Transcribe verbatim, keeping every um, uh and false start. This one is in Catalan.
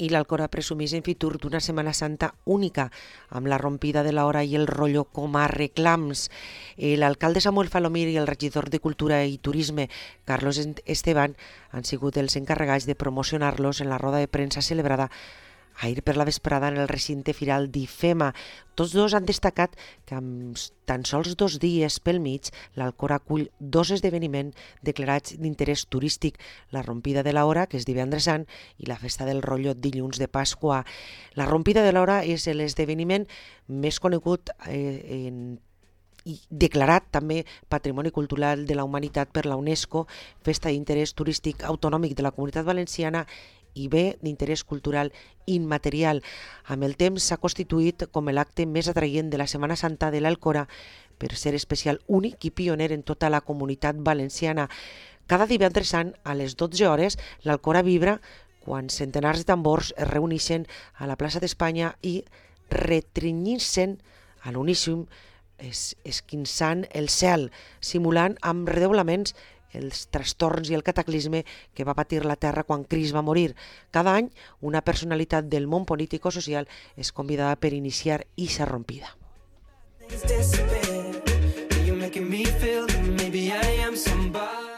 i l'Alcora presumís en futur d'una Setmana Santa única, amb la rompida de l'hora i el rotllo com a reclams. L'alcalde Samuel Falomir i el regidor de Cultura i Turisme, Carlos Esteban, han sigut els encarregats de promocionar-los en la roda de premsa celebrada ahir per la vesprada en el recinte firal d'IFEMA. Tots dos han destacat que amb tan sols dos dies pel mig l'Alcora acull dos esdeveniments declarats d'interès turístic, la rompida de l'hora, que és divendres sant, i la festa del rotllo dilluns de Pasqua. La rompida de l'hora és l'esdeveniment més conegut eh, en i declarat també Patrimoni Cultural de la Humanitat per la UNESCO, festa d'interès turístic autonòmic de la Comunitat Valenciana i bé d'interès cultural immaterial. Amb el temps s'ha constituït com l'acte més atraient de la Setmana Santa de l'Alcora per ser especial, únic i pioner en tota la Comunitat Valenciana. Cada divendres sant, a les dotze hores, l'Alcora vibra quan centenars de tambors es reuneixen a la plaça d'Espanya i retrinyint-se'n a l'uníssim, es, esquinçant el cel, simulant amb redoblaments els trastorns i el cataclisme que va patir la Terra quan Crist va morir. Cada any, una personalitat del món polític o social és convidada per iniciar ixa rompida. Maybe I am somebody